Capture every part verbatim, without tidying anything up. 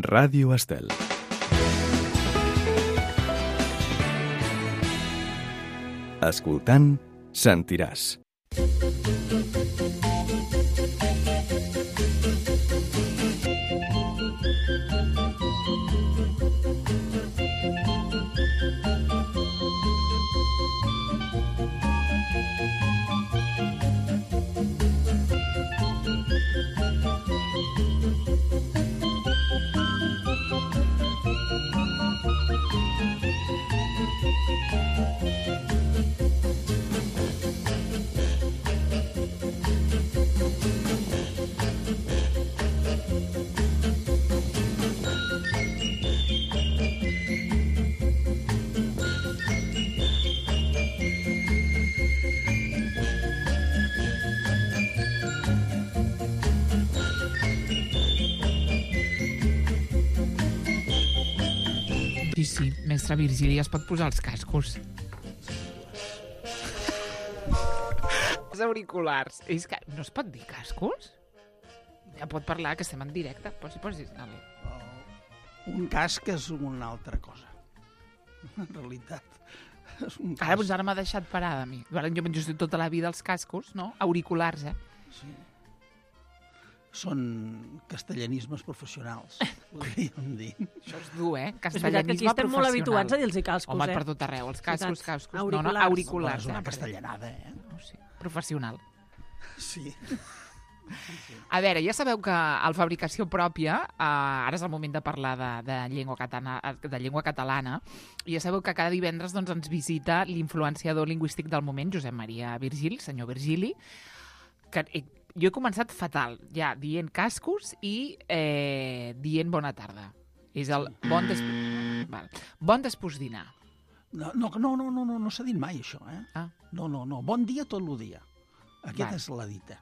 Ràdio Estel. Escoltant, sentiràs. Sí, sí, mestre Virgili, es pot posar els cascos. Els auriculars. És que no es pot dir cascos? Ja pot parlar, que estem en directe. Posi, posi. Vale. Un casc és una altra cosa. En realitat, és un casc. Ara, doncs ara m'ha deixat parada a mi. Jo m'he just tota la vida els cascos, no? Auriculars, eh? Sí. Són castellanismes professionals, podríem dir. Això és dur, eh? És veritat que Castellanisme aquí estem molt habituats a dir-los cascos, Home, eh? per tot arreu. Els cascos, cascos. Auriculars. No, no, auriculars. És una eh? castellanada, eh? No, sí. Professional. Sí. A veure, ja sabeu que a la fabricació pròpia, eh, ara és el moment de parlar de, de, llengua catalana, de llengua catalana, i ja sabeu que cada divendres doncs, ens visita l'influenciador lingüístic del moment, Josep Maria Virgili, senyor Virgili, que eh, jo he començat fatal, ja, dient cascos i eh, dient bona tarda. És el bon, des... Val. Bon despús-dinar. No, no, no, no, no, no, no s'ha dit mai, això, eh? Ah. No, no, no. Bon dia tot el dia. Aquesta Val. és la dita.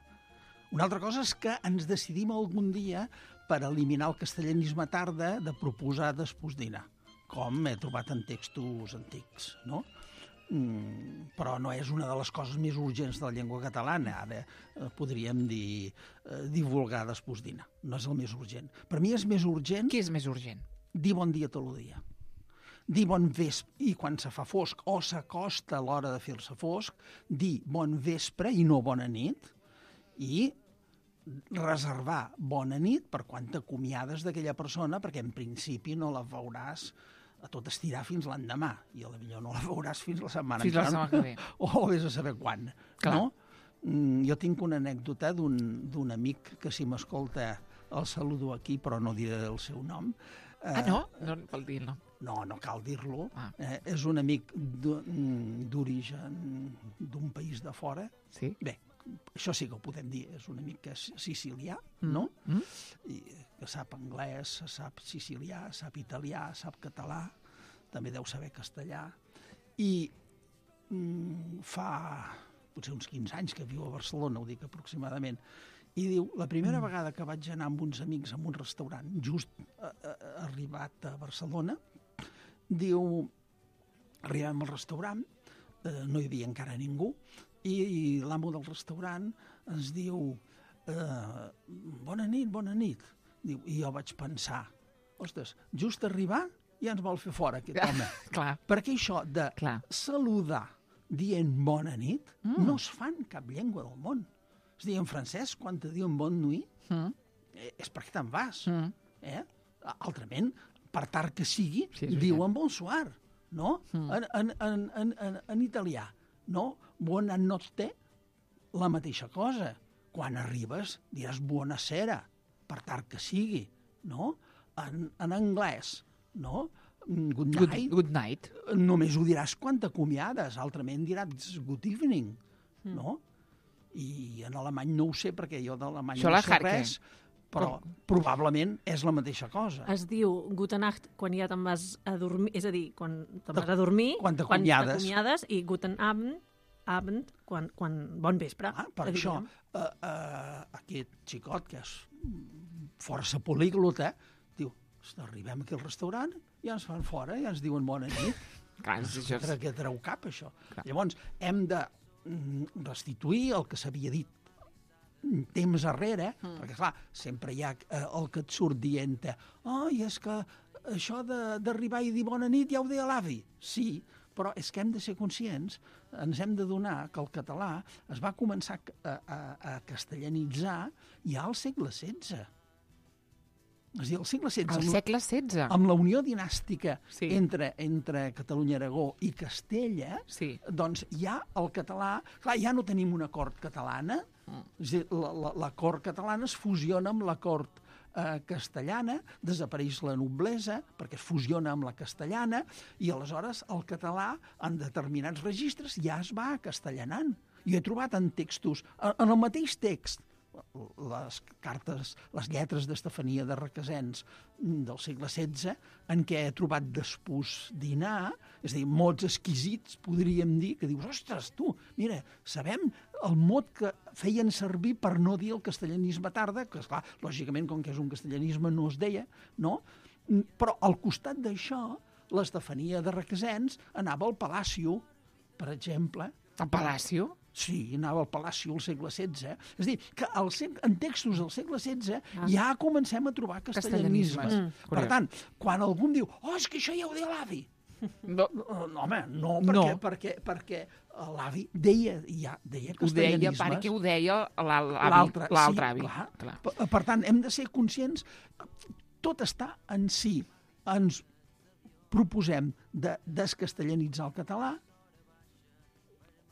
Una altra cosa és que ens decidim algun dia per eliminar el castellanisme tarda de proposar despús-dinar, com he trobat en textos antics, no? Mm, però no és una de les coses més urgents de la llengua catalana. Ara eh, podríem dir eh, divulgar despús-dinar. No és el més urgent. Per mi és més urgent Què és més urgent? dir bon dia tot el dia. Dir bon vespre, i quan se fa fosc o s'acosta l'hora de fer-se fosc, dir bon vespre i no bona nit, i reservar bona nit per quan t'acomiades d'aquella persona, perquè en principi no la veuràs a tot estirar fins l'endemà, i potser no la veuràs fins la setmana Fins la setmana que ve. o vés a saber quan. Clar. No? Mm, jo tinc una anècdota d'un d'un amic que, si m'escolta, el saludo aquí, però no diré el seu nom. Ah, no? No vol dir-lo. No, no cal dir-lo. Ah. Eh, és un amic d'o- mm, d'origen d'un país de fora. Sí? Bé, això sí que ho podem dir, és un amic que és sicilià, no? Mm? I que sap anglès, sap sicilià, sap italià, sap català, també deu saber castellà, i mm, fa potser uns quinze anys que viu a Barcelona, ho dic aproximadament, i diu, la primera vegada que vaig anar amb uns amics a un restaurant, just a, a, arribat a Barcelona, diu, arribem al restaurant, eh, no hi havia encara ningú, i, i l'amo del restaurant ens diu, eh, bona nit, bona nit. Diu, i jo vaig pensar, ostres, just arribar ja ens vol fer fora aquest home. Clar. Perquè això de Clar. saludar dient bona nit Mm. no es fa en cap llengua del món. És a dir, en francès, quan te diuen bon nuit, Mm? eh, és perquè te'n vas. Mm. Eh? Altrament, per tard que sigui, Sí, és veritat. diuen bonsoir, no? Mm. En, en, en, en, en, en italià, no? Buona notte, la mateixa cosa. Quan arribes diràs buonasera, per tard que sigui, no? En, en anglès, no? Good Good, night, good night. només ho diràs quan t'acomiades, altrament diràs good evening, Mm. no? I en alemany no ho sé, perquè jo d'alemany Això no la sé Harke. res, però probablement és la mateixa cosa. Es diu Gute Nacht quan ja te'n vas a dormir, és a dir, quan te'n vas a dormir, Quan t'acomiades. t'acomiades, i Guten Abend, Abend quan, quan bon vespre. Ah, per que això, diríem. uh, uh, aquest xicot, que és força políglota, diu, arribem aquí al restaurant, ja ens fan fora, ja ens diuen bona nit. Clar, això és... Entre què treu cap, això? Clar. Llavors, hem de mm, restituir el que s'havia dit temps arrere, mm. perquè, clar, sempre hi ha eh, el que et surt dient oh, i és que això d'arribar i dir bona nit ja ho deia l'avi. Sí, però és que hem de ser conscients, ens hem de donar que el català es va començar a, a, a castellanitzar ja al segle setze. És a dir, al segle setze. Al segle setze? Amb la unió dinàstica sí. entre, entre Catalunya, Aragó i Castella, sí. doncs ja el català... Clar, ja no tenim una cort catalana, mm. és a dir, la, la, la cort catalana es fusiona amb la cort eh, castellana, desapareix la noblesa perquè es fusiona amb la castellana i aleshores el català en determinats registres ja es va castellanant. Jo he trobat en textos, en el mateix text, les cartes, les lletres d'Estefania de Requesens del segle setze, en què he trobat despús dinar, és a dir, mots exquisits, podríem dir, que dius, ostres, tu, mira, sabem el mot que feien servir per no dir el castellanisme tarda, que, esclar, lògicament, com que és un castellanisme, no es deia, no? Però al costat d'això, l'Estefania de Requesens anava al Palacio, per exemple. Al Palacio? Sí, anava al Palacio al segle setze. És a dir, que al, en textos del segle setze ah. ja comencem a trobar castellanismes. Mm. Per tant, quan algú em diu oh, és que això ja ho deia l'avi. No. no, home, no, perquè, no. perquè, perquè l'avi deia, ja, deia castellanismes. Ho deia perquè ho deia l'altre sí, avi. Clar. Clar. Per, per tant, hem de ser conscients, tot està en si. Ens proposem de descastellanitzar el català,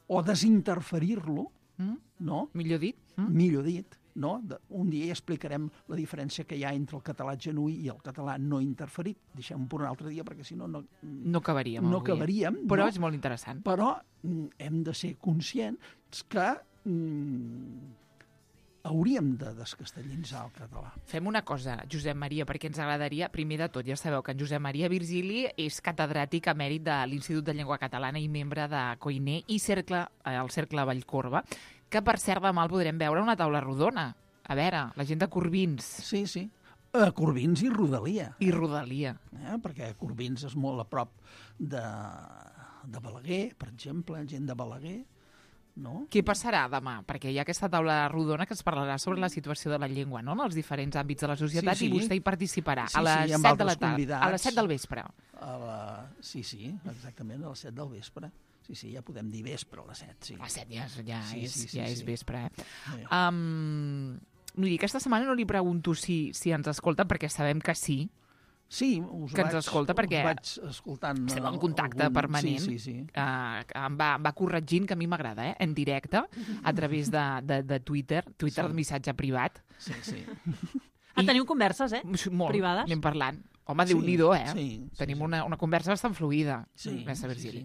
o desinterferir-lo, mm? no? Millor dit. Mm? Millor dit, no? De, un dia ja explicarem la diferència que hi ha entre el català genuí i el català no interferit. Deixem-ho per un altre dia, perquè si no... No, no acabaríem. No acabaríem. Però no? és molt interessant. Però mm, hem de ser conscients que mm, hauríem de descastellanitzar el català. Fem una cosa, Josep Maria, perquè ens agradaria, primer de tot, ja sabeu que en Josep Maria Virgili és catedràtic emèrit de l'Institut de Llengua Catalana i membre de Coiner i cercle, eh, el Cercle Vallcorba, que per cert demà el podrem veure a una taula rodona. A veure, la gent de Corbins. Sí, sí. Uh, Corbins i Rodalia. I Rodalia. Eh? Perquè Corbins és molt a prop de, de Balaguer, per exemple, gent de Balaguer. No? Què passarà demà? Perquè hi ha aquesta taula rodona que es parlarà sobre la situació de la llengua, no?, en els diferents àmbits de la societat, sí, sí. I vostè hi participarà sí, a les sí, set de la tarda, a les set del vespre. A la... Sí, sí, exactament, a les set del vespre. Sí, sí, ja podem dir vespre a les set, sí. A les set ja, ja, sí, és, sí, sí, ja sí. és vespre, eh? Sí. Um, vull dir, aquesta setmana no li pregunto si, si ens escolta, perquè sabem que sí, Sí, us que vaig, ens escolta perquè us vaig escoltant estem en contacte algun... permanent. Sí, sí, sí. Uh, em, va, em va corregint, que a mi m'agrada, eh? En directe, a través de, de, de Twitter, Twitter sí. de missatge privat. Sí, sí. Ah, I... teniu converses, eh? Molt, privades? anem parlant. Home, Déu-n'hi-do, eh? Sí, sí, Tenim sí. Una, una conversa bastant fluida. Sí, sí, sí, sí,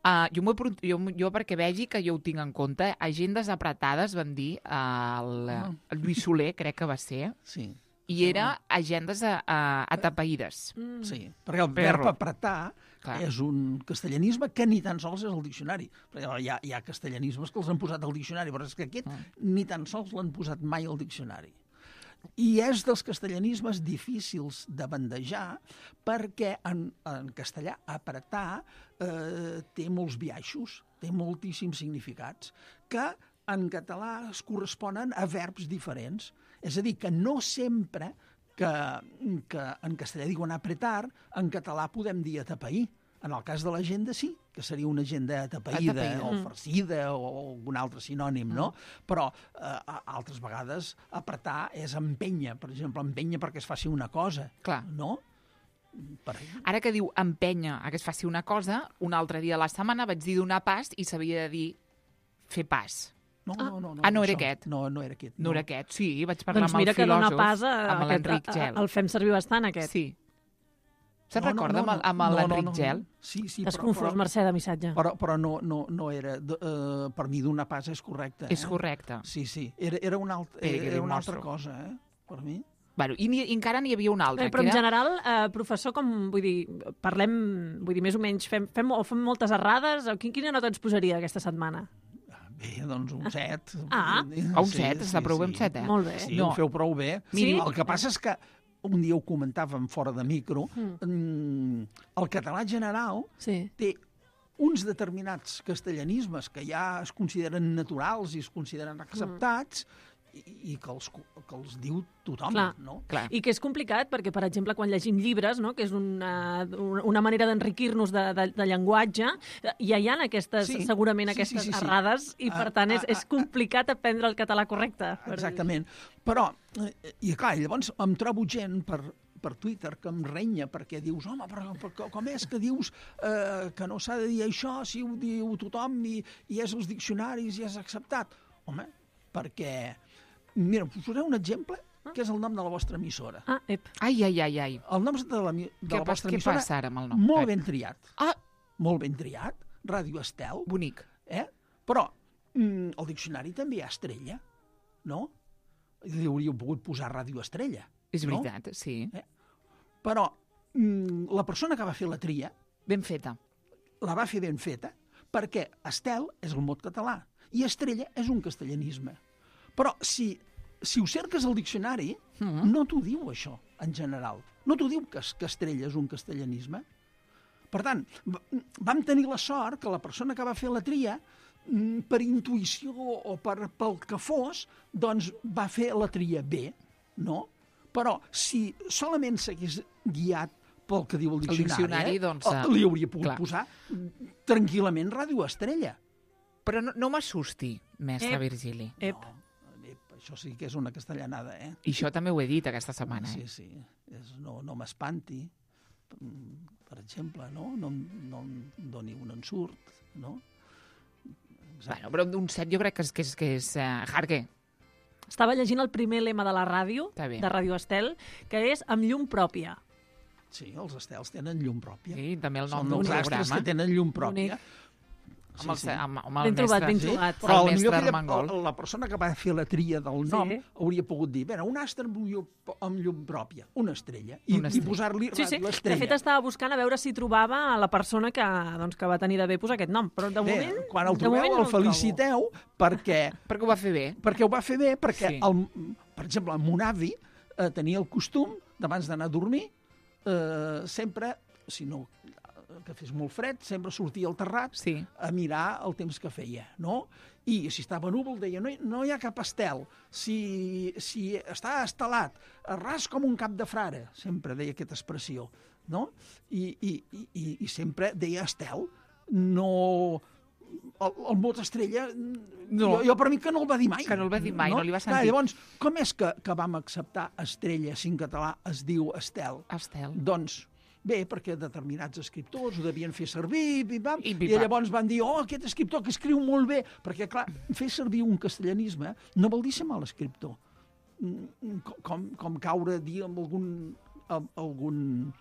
uh, jo, jo, jo, perquè vegi que jo ho tinc en compte, agendes apretades, van dir el, ah. el Lluís Soler, crec que va ser. Sí. I era agendes a, a, atapeïdes. Mm. Sí, perquè el verb apretar Clar. és un castellanisme que ni tan sols és el diccionari. Perquè hi ha, hi ha castellanismes que els han posat al diccionari, però és que aquest mm. ni tan sols l'han posat mai al diccionari. I és dels castellanismes difícils de bandejar perquè en, en castellà apretar eh, té molts biaixos, té moltíssims significats, que en català es corresponen a verbs diferents. És a dir, que no sempre que, que en castellà diuen apretar, en català podem dir atapeir. En el cas de l'agenda sí, que seria una agenda atapeïda, atapeïda. o farcida o algun altre sinònim, no? Mm. Però eh, altres vegades apretar és empènyer, per exemple, empènyer perquè es faci una cosa, Clar. no? Per... Ara que diu empènyer a que es faci una cosa, un altre dia de la setmana vaig dir donar pas i s'havia de dir fer pas. No, no, no, no. Ah, no era això. aquest? No, no era aquest. No, no era aquest, sí, vaig doncs parlar amb el mira filòsof, que dona pas a, amb l'Enric Gel. El fem servir bastant, aquest. Sí. Se'n no, recorda no, no, amb, amb l'Enric no, no, Gel? No. Sí, sí. T'has però, confós, però, Mercè, de missatge. Però, però no, no, no era... Uh, per mi donar pas és correcte. És eh? correcte. Sí, sí. Era, era, una, alt, era, era una altra cosa, eh? Per mi. Bueno, i, ni, i encara n'hi havia una altra. Bé, però que en era... general, eh, professor, com, vull dir, parlem, vull dir, més o menys, fem, fem, o fem moltes errades, o quin, quina nota ens posaria aquesta setmana? Bé, doncs un set. Ah, a un set, està prou bé un set, eh? Molt bé. Sí, no. ho feu prou bé. Miri, el que passa és que un dia ho comentàvem fora de micro, mm. el català general sí. té uns determinats castellanismes que ja es consideren naturals i es consideren acceptats, mm. i, i que, els, que els diu tothom, Clar. no? Clar. I que és complicat perquè, per exemple, quan llegim llibres, no? que és una, una manera d'enriquir-nos de, de, de llenguatge, ja hi ha aquestes, Sí, segurament sí, sí, aquestes sí, sí. errades i, per Ah, tant, és, ah, és complicat aprendre el català correcte. Exactament. Però, eh, i clar, llavors em trobo gent per, per Twitter que em renya perquè dius, home, però, però com és que dius eh, que no s'ha de dir això si ho diu tothom i, i és els diccionaris i és acceptat? Home, perquè... Mira, us posaré un exemple, que és el nom de la vostra emissora. Ah, ep. Ai, ai, ai, ai. El nom de la, de Què, la pas, vostra què emissora, passa ara amb el nom? molt Eh, ben triat. Ah, Molt ben triat. Ràdio Estel. bonic. Eh? Però mm, el diccionari també hi ha estrella, no? Li hauríeu pogut posar Ràdio Estrella. És no? veritat, sí. Però mm, la persona que va fer la tria Ben feta. la va fer ben feta perquè Estel és el mot català i Estrella és un castellanisme. Però si, si ho cerques al diccionari, Mm. no t'ho diu això, en general. No t'ho diu que, que Estrella és un castellanisme. Per tant, v- vam tenir la sort que la persona que va fer la tria, mm, per intuïció o per, pel que fos, doncs va fer la tria bé, no? Però si solament s'hagués guiat pel que diu el El diccionari, diccionari, eh, doncs, eh, eh, li hauria pogut clar. posar mm, tranquil·lament Ràdio Estrella. Però no, no m'assusti, mestre Ep. Virgili. Ep. No, ep, això sí que és una castellanada, eh? I això també ho he dit aquesta setmana. Sí, Eh? sí. És, no no m'espanti, mm, per exemple, no? No, em- no em doni un ensurt, no? Bueno, però un set jo crec que és, que és, que és uh, Harque. Estava llegint el primer lema de la ràdio, Està bé. de Ràdio Estel, que és amb llum pròpia. Sí, els estels tenen llum pròpia. Sí, també el nom Són d'un els astres programa. que tenen llum pròpia. Amb el, amb, amb el Ben trobat, mestre, ben Sí, trobat. però el potser mestre aquella- Armengol. la persona que va fer la tria del nom Sí. hauria pogut dir, "Vera, un astre amb llum, amb llum pròpia, una estrella", i, Una i estrella. posar-li Sí, sí. Ràdio De Estrella. fet, estava buscant a veure si trobava la persona que, doncs, que va tenir de bé posar aquest nom. Però de Bé, moment, quan el de trobeu, moment no el trobo. feliciteu perquè Perquè ho va fer bé. perquè ho va fer bé, perquè, Sí. el, per exemple, el mon avi eh, tenia el costum, d'abans d'anar a dormir, eh, sempre, si no que fes molt fred, sempre sortia al terrat Sí. a mirar el temps que feia, no? I si estava núvol deia, no hi, no hi ha cap estel, si, si està estelat, ras com un cap de frare, sempre deia aquesta expressió, no? I, i, i, i sempre deia estel, no... El, el mot estrella, No. jo, jo per mi que no el va dir mai. Que no el va dir mai, no li va Clar, sentir. llavors, com és que, que vam acceptar estrella si en català es diu estel? Estel. Doncs bé, perquè determinats escriptors ho devien fer servir, i, pam, I i, pim, pam. llavors van dir, oh, aquest escriptor que escriu molt bé, perquè, clar, fer servir un castellanisme no vol dir ser mal escriptor. Mm, Com, com caure a dir amb algun, amb algun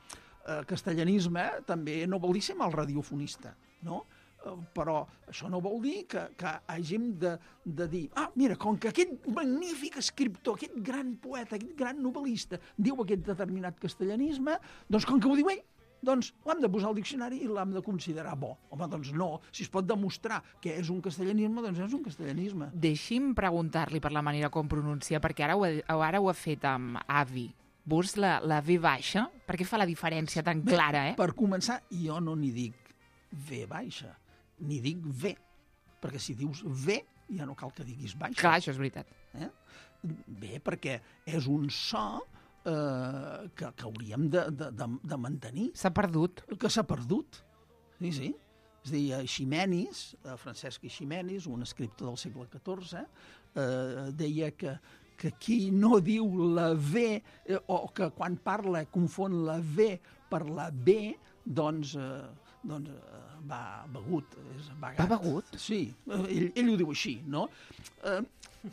eh, castellanisme també no vol dir ser mal radiofonista, no? Eh, Però això no vol dir que, que hàgim de, de dir, ah, mira, com que aquest magnífic escriptor, aquest gran poeta, aquest gran novel·lista diu aquest determinat castellanisme, doncs com que ho diu ell, doncs l'hem de posar al diccionari i l'hem de considerar bo. Home, doncs no, si es pot demostrar que és un castellanisme, doncs és un castellanisme. Deixi'm preguntar-li per la manera com pronuncia, perquè ara ho, ha, ara ho ha fet amb avi. Vos la, la V baixa? Per què fa la diferència tan Bé, clara, eh? Per començar, jo no n'hi dic V baixa, n'hi dic V, perquè si dius V ja no cal que diguis baixa. Clar, això és veritat. Eh? Bé, perquè és un so eh, que, que hauríem de, de, de, de mantenir, S'ha perdut. que s'ha perdut. Sí, sí. És a dir, Eiximenis, eh, Francesc Eiximenis, un escriptor del segle catorze, eh, deia que, que qui no diu la V, eh, o que quan parla confon la V per la B, doncs, eh, doncs eh, va begut. És vagat. Va begut? Sí, eh, ell, ell ho diu així, no? Eh,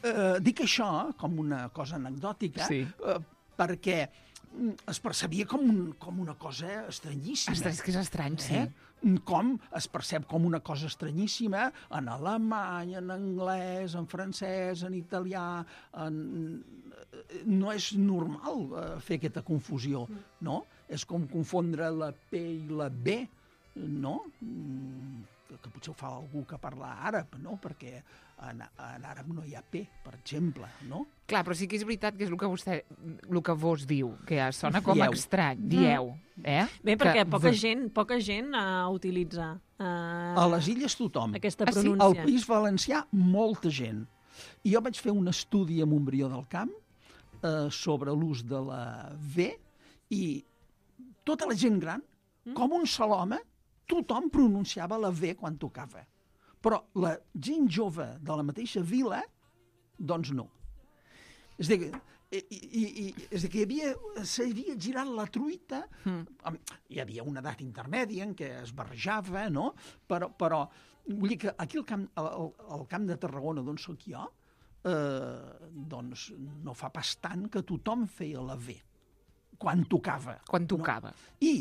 eh, dic això com una cosa anecdòtica, Sí. eh, perquè mm, es percebia com, un, com una cosa estranyíssima. Ostres, és que és estrany, sí. Eh? Com es percep com una cosa estranyíssima en alemany, en anglès, en francès, en italià... En... No és normal eh, fer aquesta confusió, no? És com confondre la P i la B, no? Mm, Que, que potser ho fa algú que parla àrab, no? Perquè en, en àrab no hi ha P, per exemple, no? Clar, però sí que és veritat que és el que vostè, el que vos diu, que sona com Dieu. estrany. Dieu, eh? Bé, perquè Que poca v- gent, poca gent uh, utilitza uh, A les illes tothom. aquesta Ah, sí? pronúncia. Al País Valencià, molta gent. I jo vaig fer un estudi a Montbrió del Camp eh, sobre l'ús de la V i tota la gent gran, mm. com un sol home, tothom pronunciava la V quan tocava. Però la gent jove de la mateixa vila, doncs no. És a dir, i, i, i, és a dir que hi havia, s'havia girat la truita, mm. hi havia una edat intermèdia en què es barrejava, no? Però, però vull dir que aquí al camp, al, al camp de Tarragona, d'on soc jo, eh, doncs no fa pas tant que tothom feia la V, quan tocava. Quan tocava. No? I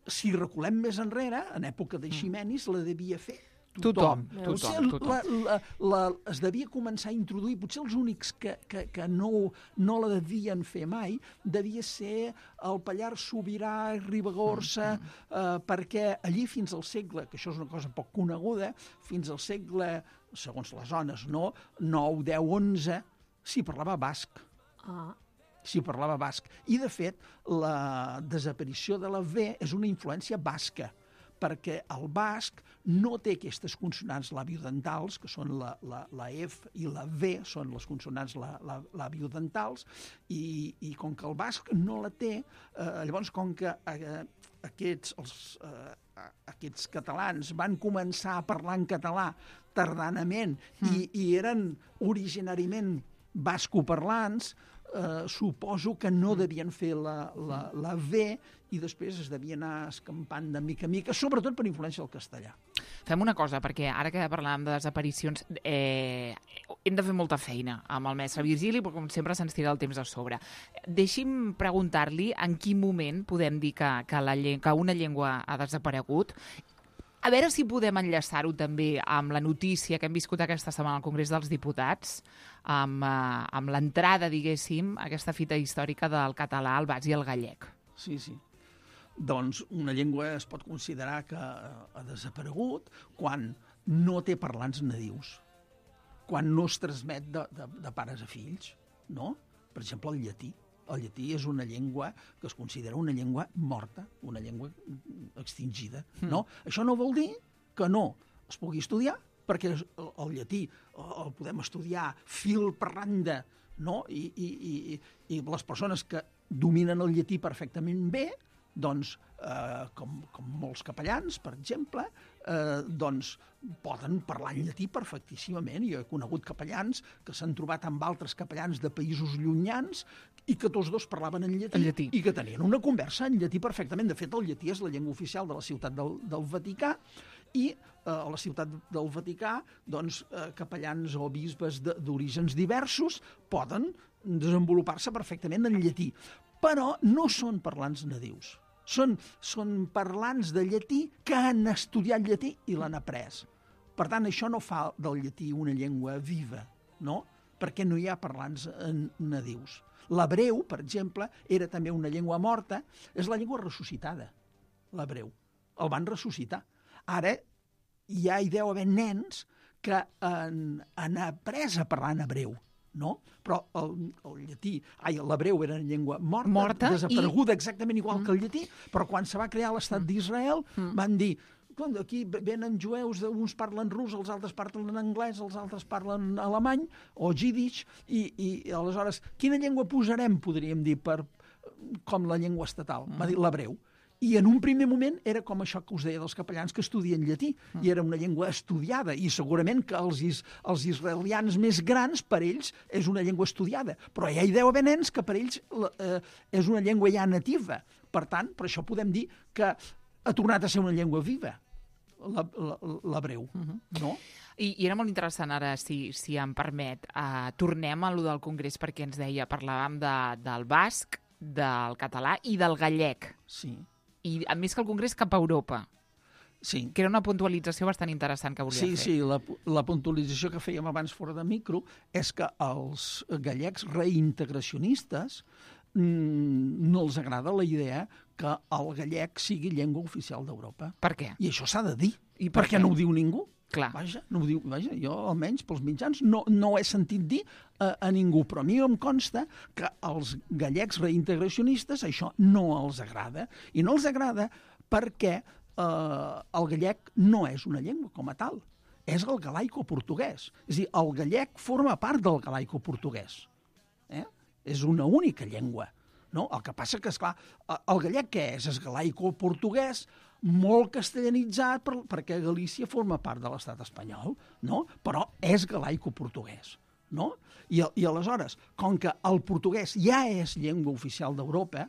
si reculem més enrere, en època de Ximenis, la devia fer tothom. Tothom. tothom, tothom. La, la, la, es devia començar a introduir, potser els únics que, que, que no, no la devien fer mai, devia ser el Pallars Sobirà, Ribagorça, mm -hmm. eh, perquè allí fins al segle, que això és una cosa poc coneguda, fins al segle, segons les zones, no? nou, deu, onze, s'hi parlava basc. Ah. S'hi parlava basc. I, de fet, la desaparició de la V és una influència basca, perquè el basc no té aquestes consonants labiodentals, que són la, la, la F i la V, són les consonants la, la, labiodentals, i, i com que el basc no la té, eh, llavors com que eh, aquests, els, eh, aquests catalans van començar a parlar en català tardanament mm. i, i eren originàriament bascoparlants, Uh, suposo que no devien fer la, la, la V i després es devia anar escampant de mica en mica, sobretot per influència del castellà. Fem una cosa, perquè ara que parlàvem de desaparicions, eh, hem de fer molta feina amb el mestre Virgili, però com sempre se'ns tira el temps a sobre. Deixi'm preguntar-li en quin moment podem dir que, que, la, que una llengua ha desaparegut. A veure si podem enllaçar-ho també amb la notícia que hem viscut aquesta setmana al Congrés dels Diputats, amb, uh, amb l'entrada, diguéssim, aquesta fita històrica del català, el basc i el gallec. Sí, sí. Doncs una llengua es pot considerar que ha desaparegut quan no té parlants nadius, quan no es transmet de, de, de pares a fills, no? Per exemple, el llatí. El llatí és una llengua que es considera una llengua morta, una llengua extingida, no? Mm. Això no vol dir que no es pugui estudiar, perquè el, el llatí el podem estudiar fil per randa, no? I, i, i, i les persones que dominen el llatí perfectament bé, doncs, eh, com, com molts capellans, per exemple, eh, doncs poden parlar en llatí perfectíssimament. Jo he conegut capellans que s'han trobat amb altres capellans de països llunyans i que tots dos parlaven en llatí, en llatí i que tenien una conversa en llatí perfectament. De fet, el llatí és la llengua oficial de la ciutat del, del Vaticà i eh, a la ciutat del Vaticà, doncs, eh, capellans o bisbes d'orígens diversos poden desenvolupar-se perfectament en llatí. Però no són parlants nadius. Són, són parlants de llatí que han estudiat llatí i l'han après. Per tant, això no fa del llatí una llengua viva, no? Perquè no hi ha parlants nadius. L'hebreu, per exemple, era també una llengua morta, és la llengua ressuscitada, l'hebreu. El van ressuscitar. Ara ja hi deu haver nens que han, han après a parlar en hebreu, no? Però el, el llatí, ai, l'hebreu era una llengua morta, morta desapareguda i... exactament igual mm. que el llatí, però quan se va crear l'estat mm. d'Israel mm. van dir, aquí venen jueus, uns parlen rus, els altres parlen anglès, els altres parlen alemany o jiddisch, i, i aleshores, quina llengua posarem, podríem dir, per, com la llengua estatal? Mm. Va dir l'hebreu. I en un primer moment era com això que us deia dels capellans que estudien llatí, mm. i era una llengua estudiada, i segurament que els, is, els israelians més grans, per ells, és una llengua estudiada. Però ja hi deu haver nens que per ells eh, és una llengua ja nativa. Per tant, per això podem dir que ha tornat a ser una llengua viva, l'hebreu, mm-hmm. no? I, I era molt interessant ara, si, si em permet, uh, tornem a lo del Congrés perquè ens deia, parlàvem de, del basc, del català i del gallec. Sí. I a més que el Congrés cap a Europa. Sí. Que era una puntualització bastant interessant que volia sí, fer. Sí, sí, la, la puntualització que fèiem abans fora de micro és que els gallecs reintegracionistes mmm, no els agrada la idea que el gallec sigui llengua oficial d'Europa. Per què? I això s'ha de dir. I per perquè què? No ho diu ningú. Clar. Vaja, no ho diu, vaja, jo almenys pels mitjans no, no ho he sentit dir a, a ningú, però a mi em consta que als gallecs reintegracionistes això no els agrada, i no els agrada perquè eh, el gallec no és una llengua com a tal, és el galaico-portuguès. És a dir, el gallec forma part del galaico-portuguès. Eh? És una única llengua. No? El que passa que, esclar, el gallec què és? És galaico-portuguès, molt castellanitzat per, perquè Galícia forma part de l'estat espanyol, no? Però és galaico-portuguès. No? I, I aleshores, com que el portuguès ja és llengua oficial d'Europa,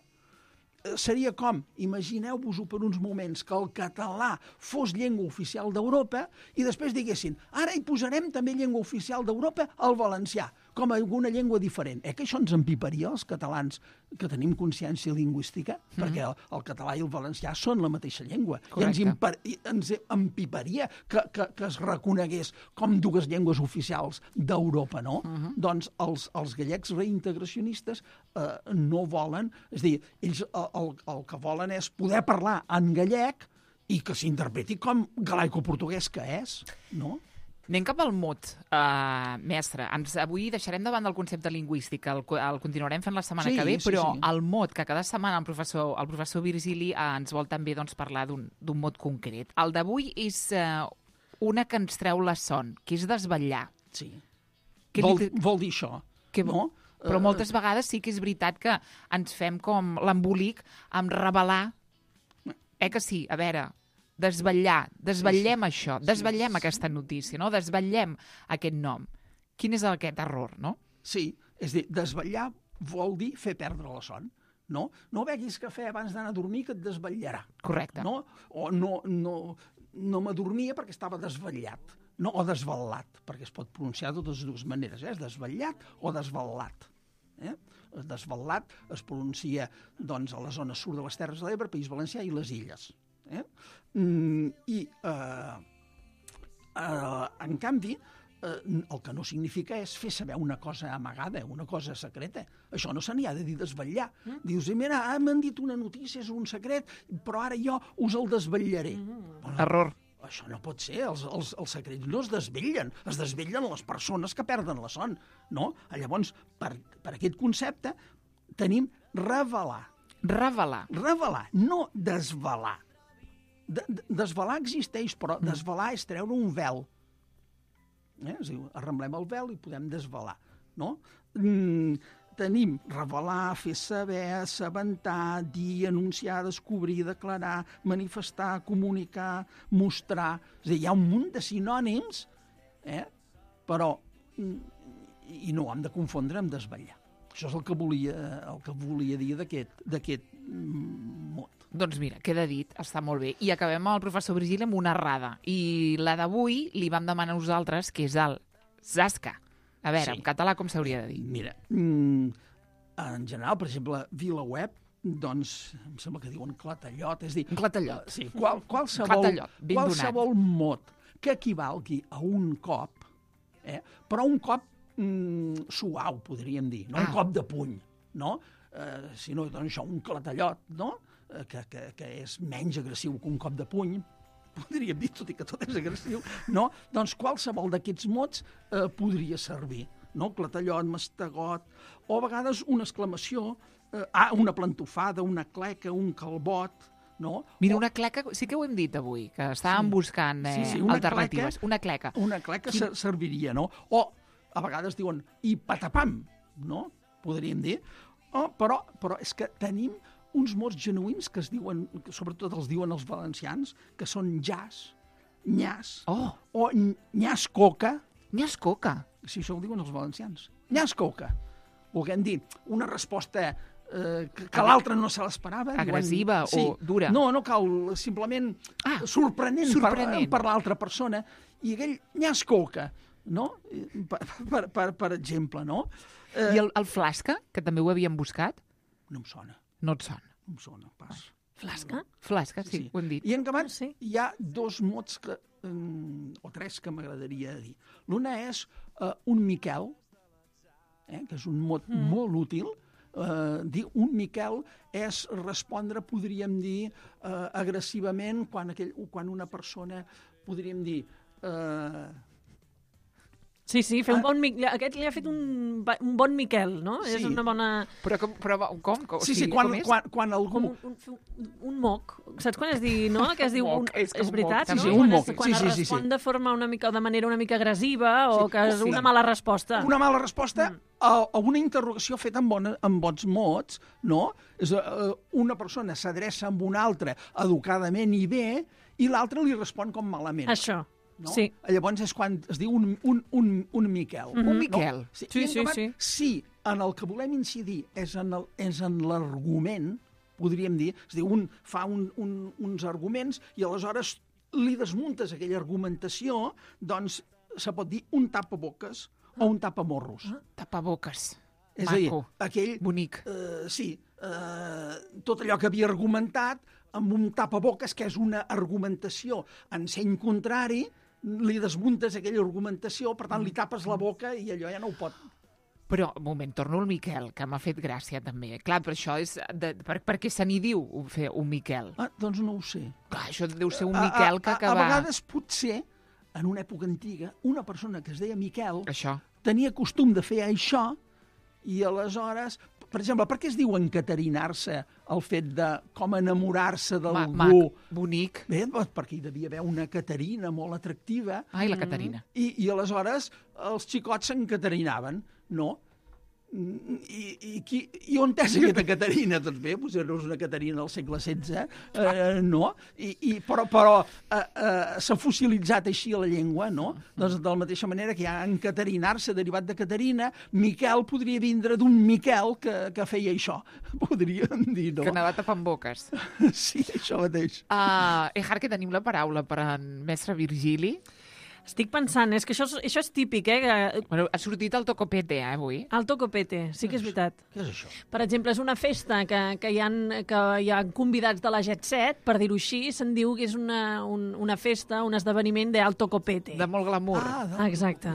seria com, imagineu-vos-ho per uns moments, que el català fos llengua oficial d'Europa i després diguessin, ara hi posarem també llengua oficial d'Europa al valencià, com alguna llengua diferent. Eh que això ens empiparia, els catalans que tenim consciència lingüística? Mm-hmm. Perquè el, el català i el valencià són la mateixa llengua. Correcte. I ens, impar, ens empiparia que, que, que es reconegués com dues llengües oficials d'Europa, no? Mm-hmm. Doncs els, els gallecs reintegracionistes eh, no volen, és a dir, ells el, el, el que volen és poder parlar en gallec i que s'interpreti com galaico-portuguès que és, no? Anem cap al mot, uh, mestre. Ens, avui deixarem davant del concepte lingüístic, el, el continuarem fent la setmana sí, que ve, sí, però sí. el mot, que cada setmana el professor, el professor Virgili uh, ens vol també doncs, parlar d'un mot concret. El d'avui és uh, una que ens treu la son, que és desvetllar. Sí. Que vol, li... vol dir això, que... no? Però moltes vegades sí que és veritat que ens fem com l'embolic amb revelar. Eh que sí? A veure... Desvetllar, desvetllem sí, sí. això, desvetllem sí, aquesta notícia, no? Desvetllem aquest nom. Quin és aquest error, no? Sí, és a dir, desvetllar vol dir fer perdre la son, no? No beguis cafè abans d'anar a dormir que et desvetllarà. Correcte. No? O no, no, no m'adormia perquè estava desvetllat, no? O desvetllat, perquè es pot pronunciar de totes dues maneres, eh? Desvetllat o desvetllat. Eh? Desvetllat es pronuncia doncs, a la zona sud de les Terres de l'Ebre, País Valencià i les Illes. Eh? Mm, I, eh, eh, en canvi, eh, el que no significa és fer saber una cosa amagada, una cosa secreta. Això no se n'hi ha de dir desvetllar. Mm. Dius, mira, ah, m'han dit una notícia, és un secret, però ara jo us el desvetllaré. Mm. Bueno, error. Això no pot ser, els, els, els secrets no es desvetllen, es desvetllen les persones que perden la son. No? Llavors, per, per aquest concepte, tenim revelar. Revelar. Revelar, no desvelar. De, de, desvelar existeix, però mm. desvelar és treure un vel. Eh? És a dir, arremblem el vel i podem desvelar. No? Mm, tenim revelar, fer saber, assabentar, dir, anunciar, descobrir, declarar, manifestar, comunicar, mostrar. És a dir, hi ha un munt de sinònims, eh? Però i no ho hem de confondre amb desvetllar. Això és el que volia, el que volia dir d'aquest mot. Doncs mira, queda dit, està molt bé. I acabem amb el professor Virgili amb una errada. I la d'avui li vam demanar a nosaltres, que és el zasca. A veure, sí. En català com s'hauria de dir? Mira, en general, per exemple, VilaWeb, doncs, em sembla que diuen clatallot. És dir, un clatallot. Sí, qual, qualsevol, clatallot, ben qualsevol donat. mot que equivalgui a un cop, eh, però un cop mm, suau, podríem dir, no ah. un cop de puny, no? Eh, si no, doncs això, un clatallot, no? Que, que, que és menys agressiu que un cop de puny, podríem dir, tot i que tot és agressiu, no? Doncs qualsevol d'aquests mots eh, podria servir, no? Clatallot, mastegot, o a vegades una exclamació, eh, ah, una plantofada, una cleca, un calbot, no? Mira, o... una cleca, sí que ho hem dit avui, que estàvem sí. buscant eh, sí, sí, una alternatives. Cleca, una cleca. Una cleca Quin... serviria, no? O a vegades diuen, i patapam, no? Podríem dir. Oh, però, però és que tenim uns mots genuïns que es diuen, que sobretot els diuen els valencians, que són jazz, nyàs, oh. o nyàs coca. Nyàs coca? Sí, això ho diuen els valencians. Nyàs coca. Volguem dir, una resposta eh, que, que l'altre no se l'esperava. Agressiva diuen, sí. o dura? No, no cal, simplement ah, sorprenent, sorprenent. Per, per l'altra persona. I aquell nyàs coca, no? Per, per, per, per exemple, no? Eh, I el, el flasca, que també ho havíem buscat? No em sona. No et sona. No em sona, pas. Flasca? Flasca, sí, sí, ho hem dit. I en acabat, sí. hi ha dos mots, que, um, o tres, que m'agradaria dir. L'una és uh, un Miquel, eh, que és un mot mm. molt útil. Uh, dir un Miquel és respondre, podríem dir, uh, agressivament, quan, aquell, quan una persona, podríem dir... Uh, Sí, sí, fer un bon Miquel. Aquest li ha fet un, un bon Miquel, no? Sí. És una bona... Però com? Però, com? com? Sí, sí, sí, quan, com és? quan, quan algú... Un, un, un moc, saps quan es diu, no? Que es diu... Un, Moc, és com és veritat, moc, no? sí, sí, un Quan, moc. es, quan Sí, sí, es sí, sí. respon de forma una mica, de manera una mica agressiva o Sí, que és sí. una mala resposta. Una mala resposta a, a una interrogació feta amb, bona, amb bons mots, no? És, uh, una persona s'adreça amb una altra educadament i bé i l'altra li respon com malament. Això, No? sí. Llavors és quan es diu un, un, un, un Miquel. Mhm. Un Miquel. No? Sí, Sí, I en sí, acabat, sí. Si en el que volem incidir és en el- és en l'argument, podríem dir, és a dir, un fa un, un, uns arguments i aleshores li desmuntes aquella argumentació, doncs se pot dir un tapaboques o un tapamorros. Ah, tapaboques. És a dir, Maco. aquell... Bonic. Eh, sí, eh, tot allò que havia argumentat amb un tapaboques, que és una argumentació en seny contrari, li desmuntes aquella argumentació, per tant, li tapes la boca i allò ja no ho pot. Però, un moment, torno al Miquel, que m'ha fet gràcia també. Clar, però això és... De, per, per què se n'hi diu un- fer un Miquel? Ah, doncs no ho sé. Clar, això deu ser un A- Miquel a, que a, acaba... A vegades, potser, en una època antiga, una persona que es deia Miquel Això. tenia costum de fer això i aleshores... Per exemple, per què es diu encatarinar-se el fet de com enamorar-se Ma, d'algú? mac, bonic. Bé, doncs perquè hi devia haver una Caterina molt atractiva Ai, la Caterina. i, i aleshores els xicots s'encaterinaven, no? I, i, qui, i on és aquesta Caterina? Doncs bé, doncs no és una Caterina del segle setze, eh, no? I, i, però però eh, eh, s'ha fossilitzat així la llengua, no? Doncs de la mateixa manera que hi ha encatarinar-se derivat de Caterina, Miquel podria vindre d'un Miquel que, que feia això, podríem dir, no? Que anava tapant boques. Sí, això mateix. Uh, Ejar, que tenim la paraula per en mestre Virgili. Estic pensant, és que això, és- això és típic, eh? Que... Bueno, ha sortit el tocopete, eh, avui. El tocopete, sí que és veritat. Què és això? Per exemple, és una festa que, que, hi, ha, que hi ha convidats de la Jet Set, per dir-ho així, se'n diu que és una, un, una festa, un esdeveniment d'alto copete. De molt glamour. Ah, de... Ah, exacte.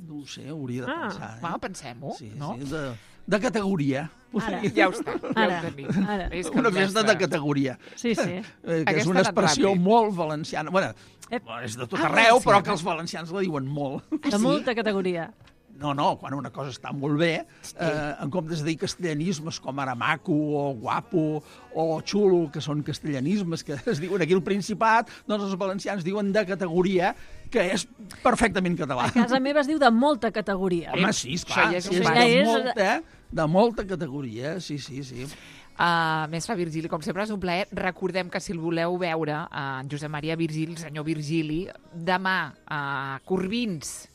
No ho sé, hauria de Ah, pensar. Eh? Va, pensem-ho, sí, no? sí, de, de categoria. Ara. Ja ho està, ja Ara, ho tenim. ara. És que Una el festa mestre- de categoria. Sí, sí. Eh, que Aquesta és ha una anat expressió ràpid. molt valenciana. Bueno, Ep. és de tot Ah, arreu, però valenciana. que els valencians la diuen molt. De molta categoria. No, no, quan una cosa està molt bé, eh, en comptes de dir castellanismes com ara maco o guapo o xulo, que són castellanismes que es diuen aquí al Principat, doncs els valencians diuen de categoria, que és perfectament català. A casa meva es diu de molta categoria. Home, sí, esclar, Això ja és sí, un és pas. de, Ja és- molta, de molta categoria, sí, sí, sí. Uh, mestre Virgili, com sempre és un plaer. Recordem que si el voleu veure, uh, en Josep Maria Virgili, el senyor Virgili, demà a uh, Corbins,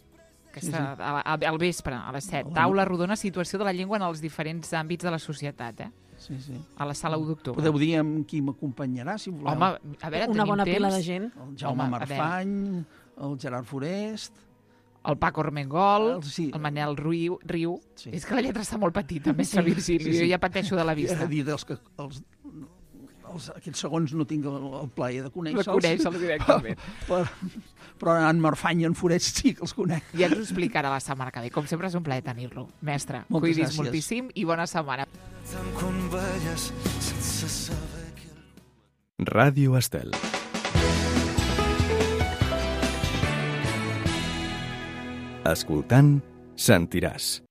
que Sí, està a, a, al vespre, a les set. Hola. Taula rodona, situació de la llengua en els diferents àmbits de la societat, eh? sí, sí. A la sala u d'octubre. Podeu dir amb qui m'acompanyarà, si voleu. Home, a veure, Una tenim bona temps. pila de gent. El Jaume Home, a Marfany, el Gerard Forest... El Paco Armengol, El- sí. el Manel Riu. Riu. Sí. És que la lletra està molt petita, mestre Sí, Virgili. sí, sí. Jo ja pateixo de la És vista. a dir, dels que els, els, aquests segons no tinc el, el plaer de De conèixer-los. conèixer-los directament. Però, però en Marfany i en Forest sí que els conec. Ja ens ho explicarà la setmana que ve. Com sempre és un plaer tenir-lo. Mestre, Moltes cuidis gràcies. moltíssim i bona setmana. quan balles sense saber que... Ràdio Estel. Escoltant, sentiràs.